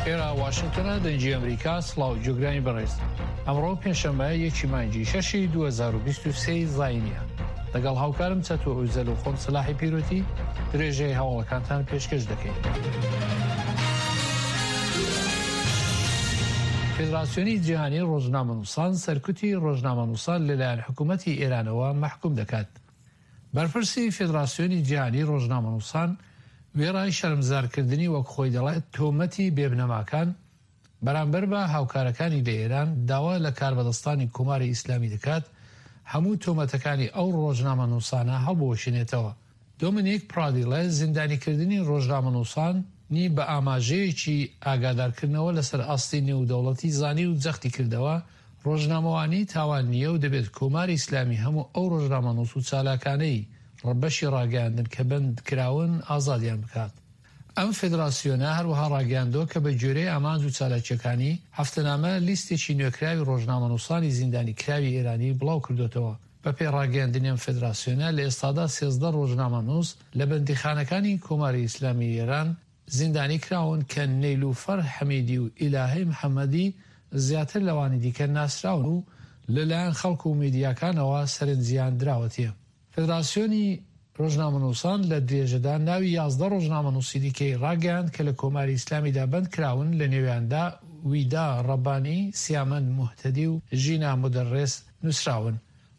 ئێرە واشنگتۆنە دەنگی ئەمریکا سڵاو جۆگرانی بەڕێز ئەمڕۆ پێنجشەممە یەکی مانگی شەشی 2023 زاینیە لەگەڵ هاوکارم چەتۆ ئوزەل و خۆم سەلاحی پیرۆتی درێژەی هەواڵەکانتان پێشکەش دەکەین. فێدراسیۆنی جیهانی ڕۆژنامەنووسان سەرکوتی ڕۆژنامەنووسان لەلایەن حکوومەتی ئێرانەوە مەحکوم دەکات. بەرپرسی فێدراسیۆنی جیهانی ڕۆژنامەنووسان وێڕای شەرمزارکردنی وەک خۆی دەڵێت تۆمەتی بێبنەماکان بەرامبەر بە هاوکارەکانی لە ئێران داوا لە کاربەدەستانی کۆماری ئیسلامی دەکات هەموو تۆمەتەکانی ئەو ڕۆژنامەنووسانە هەڵبوەشێنێتەوە. دۆمینیک پرادیڵێ زیندانیکردنی ڕۆژنامەنووسان ی بە ئاماژەیەکی ئاگادارکردنەوە لەسەر ئاستی نێودەوڵەتی زانی و جەختی کردەوە، ڕۆژنامەوانی تاوان نییە و دەبێت کۆماری ئیسلامی هەموو ئەو ڕۆژنامەنووس و چالاکانەی بەشی ڕاگەیاندن کە بەند کراون ئازادیان بکات. ئەم فێدراسیۆنە هەروەها ڕاگەیاندووە کە بە گوێرەی ئامانج و چالاکییەکانی، هەفتەنامە لیستێکی نوێکراوی ڕۆژنامەنووسانی زیندانی کراوی ئێرانی بڵاو کردۆتەوە. بە پێی ڕاگەیاندنی ئەم فێدراسیۆنە، لە ئێستادا 13 ڕۆژنامەنووس لە بەندیخانەکانی کۆماری ئیسلامیی ئێران زیندانی کراون کە نەیلوفەر حەمیدی و ئیلاهەی محەمەدی زیاتر لەوانی دیکە ناسراون و لە لایەن خەڵک و میدیاکانەوە سەرنجیان دراوەتێ. فێدراسیۆنی ڕۆژنامەنووسان لە درێژەدا ناوی 11 ڕۆژنامەنووسی دیکەی ڕاگەیاند کە لە کۆماری ئیسلامیدا بەند کراون لە نێویاندا ویدا ڕەبانی، سیامەند موهتەدی و ژینا مودەڕێس نووسراون.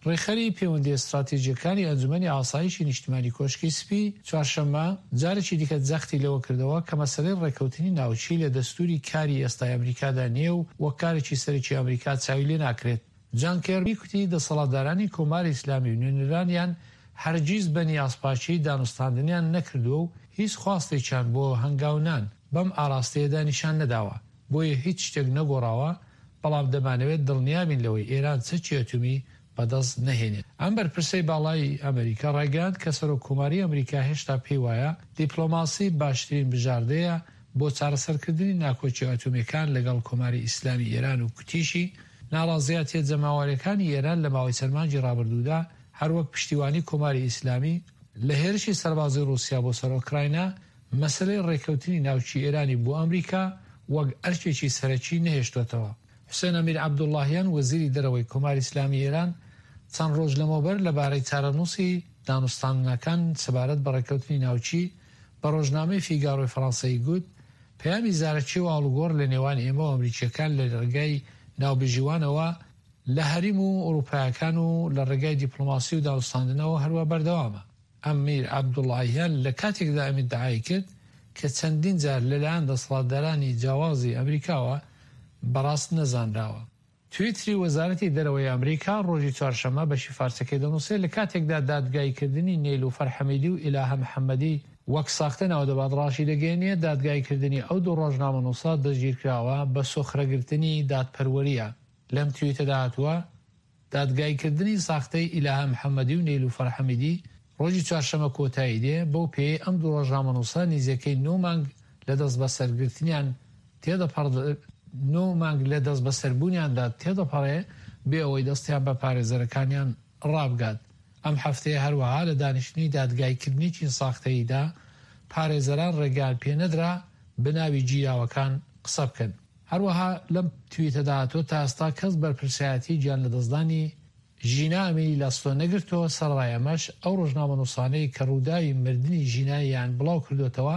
ڕێکخەری پەیوەندییە ستراتیجییەکانی ئەنجومەنی ئاسایشی نیشتمانی کۆشکی سپی، چوارشەممە، جارێکی دیکە جەختی لەوە کردەوە کە مەسەلەی ڕێککەوتنی ناوکی لە دەستووری کاری ئێستای ئەمریکادا نییە و وەک کارێکی سەرەکی ئەمریکا چاوی لێ ناکرێت. جان کێربی کوتی دەسەڵاتدارانی کۆماری ئیسلامی و نوێنەرانیان هەرگیز بە نیازپاکیی دانوستاندنیان نەکردووە و هیچ خواستێکیان بۆ هەنگاونان بەم ئاراستەیەدا نیشان نەداوە، بۆیە هیچ شتێک نەگۆڕاوە، بەڵام دەمانەوێت دڵنیابین لەوەی ئێران چەکی ئەتۆمی بەدەست نەهێنێت. ئەم بەرپرسەی باڵای ئەمریکا ڕایگەیاند کە سەرۆک کۆماری ئەمریکا هێشتا پێی وایە دیپلۆماسی باشترین بژاردەیە بۆ چارەسەرکردنی ناکۆکیە ئەتۆمیەکان لەگەڵ کۆماری ئیسلامی ئێران و کوتیشی ناڕازیاتیە جەماوەریەکانی ئێران لە ماوەی چەند مانگی ڕابردوودا هەروەک پشتیوانی کۆماری ئیسلامی لە هێرشی سەربازی ڕووسیا بۆ سەر ئۆکراینا مەسەلەی ڕێککەوتنی ناوکی ئێرانی بۆ ئەمریکا وەک ئەرکێکی سەرەکی نەهێشتۆتەوە. حوسێن ئەمیر عەبدوڵڵاهیان وەزیری دەرەوەی کۆماری ئیسلامی ئێران چەند ڕۆژ لەمەوبەر لەبارەی چارەنووسی دانوستاندنەکان سەبارەت بە ڕێککەوتنی ناوکی بە ڕۆژنامەی فیگارۆی فەڕەنسەیی گوت، پەیامی زارەکی و ئاڵوگۆڕ لە نێوان ئێمە و ئەمریکییەکان لە ڕێگای ناوبژیوانەوە لە هەریم و ئوڕووپایەکان و لە ڕێگای دیپڵۆماسی و دانوستاندنەوە هەروا بەردەوامە. ئەمیر عەبدوڵاهیان لە کاتێکدا ئەم ئیدعای کرد کە چەندین جار لەلایەن دەسەڵاتدارانی جیاوازی ئەمریکاوە بە ڕاست نەزانراوە. تویتری وەزارەتی دەرەوەی ئەمریکا ڕۆژی چوارشەممە بەشی فارسەکەی دەنووسێت لە کاتێکدا دادگاییکردنی نێلوفەر حەمیدی و ئیلاهە محەمەدی وەک ساختە ناودەبات ڕاشیدەگەیەنێ دادگاییکردنی ئەو دوو ڕۆژنامەنووسە دەستگیرکراوە بە سۆخرەگرتنی دادپەروەرییە. لەم تویتەدا هاتووە، دادگاییکردنی ساختەی ئیلاهە محەمەدی و نێلوفەر حەمیدی ڕۆژی چوارشەممە کۆتایی دێ، بەو پێیەی ئەم دوو ڕۆژنامەنووسە نیزیکەی نۆ مانگ لە دەستبەسەرگرتنیان تێدەپەڕ نۆ مانگ لە دەستبەسەربوونیاندا تێدەپەڕێ بێ ئەوەی دەستیان بە پارێزەرەکانیان ڕابگات. ئەم هەفتەیە هەروەها لە دانیشتنی دادگاییکردنێکی ساختەییدا پارێزەران ڕێگەیان پێنەدرا بە ناوی گیراوەکان قسە بکەن. هەروەها لەم تویتەدا هاتووە، تا ئێستا کەس بەرپرسایەتی گیانلەدەستدانی ژینا ئەمینی لە ئەستۆ نەگرتووە، سەرەڕای ئەمەش ئەو ڕۆژنامەنووسانەی کە ڕووداوی مردنی ژینا-یان بڵاوکردۆتەوە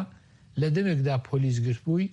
لە دەمێکدا پۆلیس گرتبووی،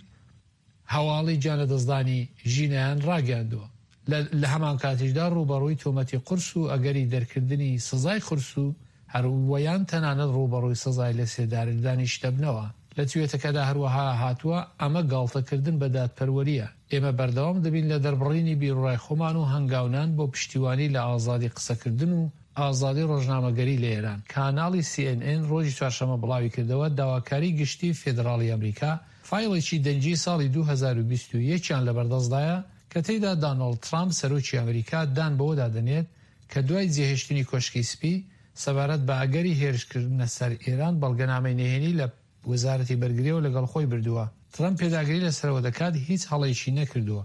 هەواڵی گیانلەدەستدانی ژینایان ڕاگەیاندووە. لە لە هەمانکاتیشدا ڕووبەڕووی تۆمەتی قورس و ئەگەری دەرکردنی سزای قورس و هەر وەیان تەنانەت ڕووبەڕووی سزای لەسێدارەدانیش دەبنەوە. لە توێتەکەدا هەروەها هاتووە، ئەمە گاڵتەکردن بە دادپەروەرییە. ئێمە بەردەوام دەبین لە دەربڕینی بیروڕای خۆمان و هەنگاونان بۆ پشتیوانی لە ئازادی قسەکردن و ئازادی ڕۆژنامەگەری لە ئێران. کاناڵی سی ئێن ئێن ڕۆژی چوارشەممە بڵاویکردەوە، داواکاری گشتی فێدراڵی ئەمریکا فایڵێکی دەنگیی ساڵی 2021 یان لەبەردەستدایە کە تێیدا دانۆڵد ترامپ سەرۆکی ئەمریکا دان بەوەدا دەنێت کە دوای جێهێشتنی کۆشکی سپی سەبارەت بە ئەگەری هێرشکردنە سەر ئێران بەڵگەنامەی نهێنی لە وەزارەتی بەرگرییەوە لەگەڵ خۆی بردووە. ترەمپ پێداگری لەسەرەوە دەکات هیچ هەڵەیەکی نەکردووە.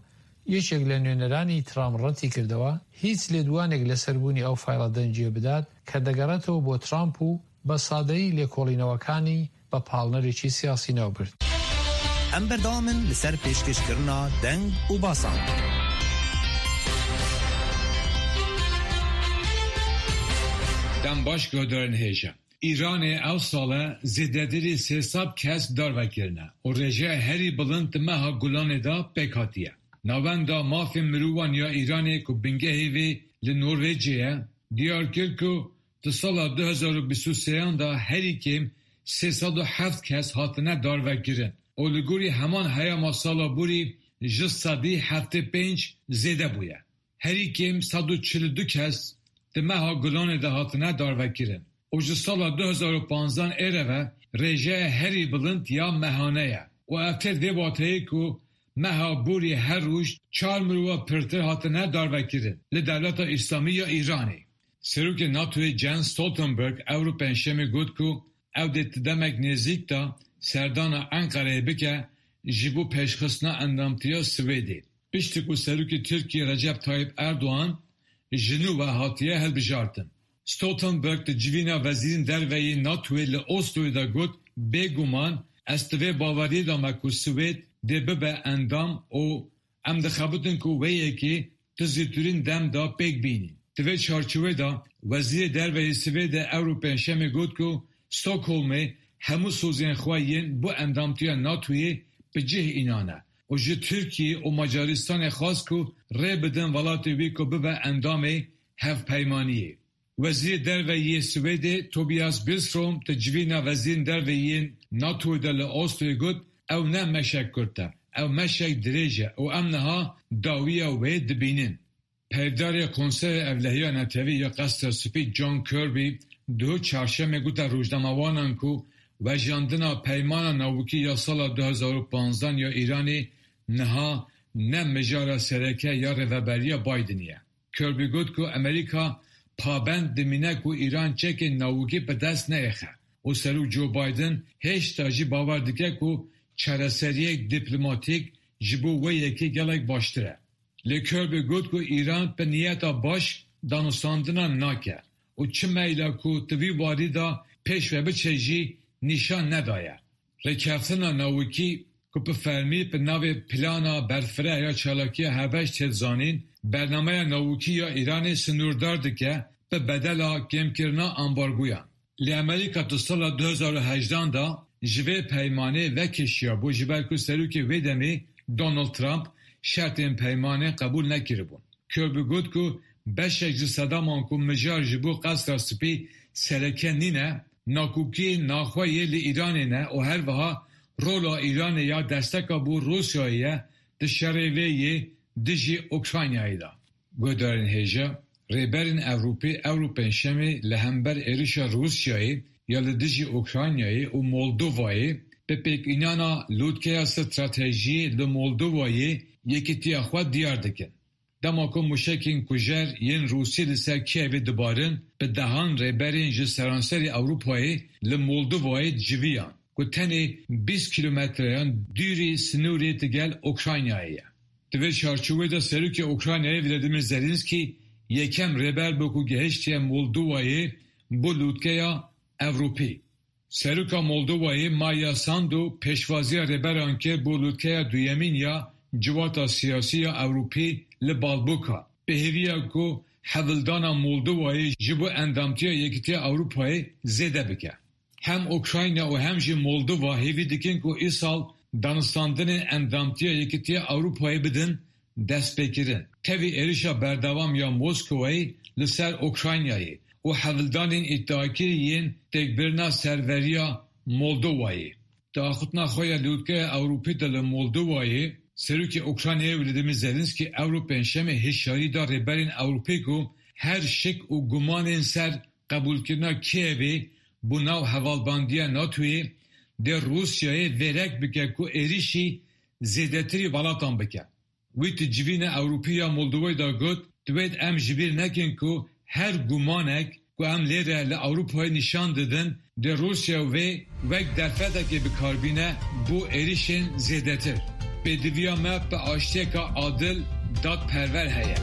یەکێک لە نوێنەرانی ترامپ ڕەتیکردەوە هیچ لێدوانێک لەسەر بوونی ئەو فایڵە دەنگییە بدات کە دەگەڕێتەوە بۆ ترامپ و بە سادەیی لێکۆڵینەوەکانی بە پاڵنەرێکی سیاسی ناوبرد. Em berdewam in li ser pêşkêşkirina deng û basan. Dem baş guhdarên hêja. Îranê ew sal e zêdetirî 300 kes darve kirine û rêjeya herî bilind di meha Gulanê de pêk hatiye. Navenda Mafên Mirovan ya Îranê ku bingehê vê li Norwêcê ye, diyar kir ku di sala 2023 de herî kêm 307 kes hatine darvekirin û li gorî heman heyama sala borî 75% zêde bûye. Herî kêm 142 kes di meha Gulanê de hatine darvekirin û ji sala 2015 êre ve rêjeya herî bilind ya mehane ye û ev tê vê wateyê ku meha borî her roj çar mirova pirtir hatine darvekirin li Dewleta Îslamî ya Îranê. Serokê NATOyê Jens Stoltenberg ewro Pêncşemê got ku ew dê di demek nêzîk de serdana Enqereyê bike ji bo pêşxistina endamtiya Swêdê. Piştî ku Serokê Tirkiyê Recep Tayyip Erdogan ji nû ve hatiye hilbijartin. Stoltenberg di civîna wezîrên derve yên NATOyê li Osloyê de got bêguman ez di vê baweriyê de me ku Swêd dê bibe endam û em dixebitin ku wê yekê di zûtirîn dem de pêk bînîn. Di vê çarçovê de Wezîrê Derve yê Swêdê ewro Pêncşemê got ku Stockholmê hemû sozên xwe yên bo endamtiya NATOyê bi cih înane û ji Tirkiye û Macaristanê xwest ku rê bidin welatê wî ku bibe endamê hevpeymaniyê. Wezîrê Derve yê Swêdê Tobias Billström di civîna wezîrên derve yên NATOyê de li Osloyê got ew ne meşek kurt e, ew meşek dirêj e û em niha dawiya wê dibînin. Peyvdarê Konseya Ewlehiya Netewî ya Qesra Spî John Kirby duh çarşemê gote rojnamevanan ku vejandina peymana navokî ya sala 2015 ya Îranê niha ne mijara sereke ya rêveberiya Bidenê ye. Kirby got ku Amerîka pabend dimîne ku Îran çekên navokî bi dest neêxe û Serok Joe Biden hêşta jî bawer dike ku çareseriyek dîplomatîk ji bo wê yekê gelek baştir e. Lê Kirby got ku Îran bi niyeta baş danûstandina nake û çi meyla ku di vî warî de pêş ve biçe jî nîşan nedaye. Rêkeftina navokî ku bi fermî bi navê Plana Berfireh ya Çalakiya Hevbeş tê zanîn, bernameya navokî ya Îranê sinûrdar dike bi bedela kêmkirina ambargoyan. Lê Amerîka di sala 2018 de ji vê peymanê vekişiya bû ji ber ku serokê wê demê Donald Trump şertên peymanê qebûl nekiribûn. Kirby got ku beşek ji sedeman ku mijar ji bo Qesra Spî sereke nîne, nakokiyên naxwe yê li Îranê ne û her wiha rola Îranê ya desteka bo Rûsyayê ye di şerê vê yê dijî Ukraynayê de. Guhdarên hêja, rêberên Ewropî ewro Pêncşemê li hember êrişa Rûsyayê ya li dijî Ukraynayê û Moldovayê bi pêkînana lûtkeya stratejiyê li Moldovayê yekîtiya xwe diyar dikin. Dema ku mûşekên kujer yên Rûsî li ser Kievê dibarin, bi dehan rêberên ji seranserê Ewropayê li Moldovayê civiyan ku tenê 20 kîlometreyan dûrî sinûrê digel Ukraynayê ye. Di vê çarçovê de Serokê Ukraynayê Vladimir Zelenskiy yekem rêber bû ku gehiştiye Moldovayê bo lûtkeya Ewropî. Seroka Moldovayê Maia Sandu pêşwaziya rêberan kir bo lûtkeya duyemîn ya Civata Siyasî ya Ewropî li Balboka. Bi hêviya ku hewldana Moldovayê ji bo endamtiya Yekîtiya Ewropayê zêde bike. Hem Ukrayna û hem jî Moldova hêvî dikin ku îsal danûstandinên endamtiya Yekîtiya Ewropayê bidin destpêkirin. Tevî êrişa berdewam ya Moskowayê li ser Ukraynayê û hewldanên îdiakirî yên têkbirina serveriya Moldovayê. Di axivtina xwe ya lûtkeya Ewropî de li Moldovayê, Serokê Ukraynayê Vladimir Zelenskiy ewro Pêncşemê hişyarî da rêberên Ewropî ku her şik û gumanên ser qebûlkirina Kievê bo nav hevalbandiya NATOyê dê Rûsyayê vêrek bike ku êrişî zêdetirî welatan bike. Wî di civîna Ewropî ya Moldovayê de got, Divêt em ji bîr nekin ku her gumanek ku em lêre li Ewropayê nîşan didin dê Rûsya wê wek derfetekê bikarbîne bo êrişên zêdetir. Pêdiviya me bi aştiyeka adil dadperwer heye.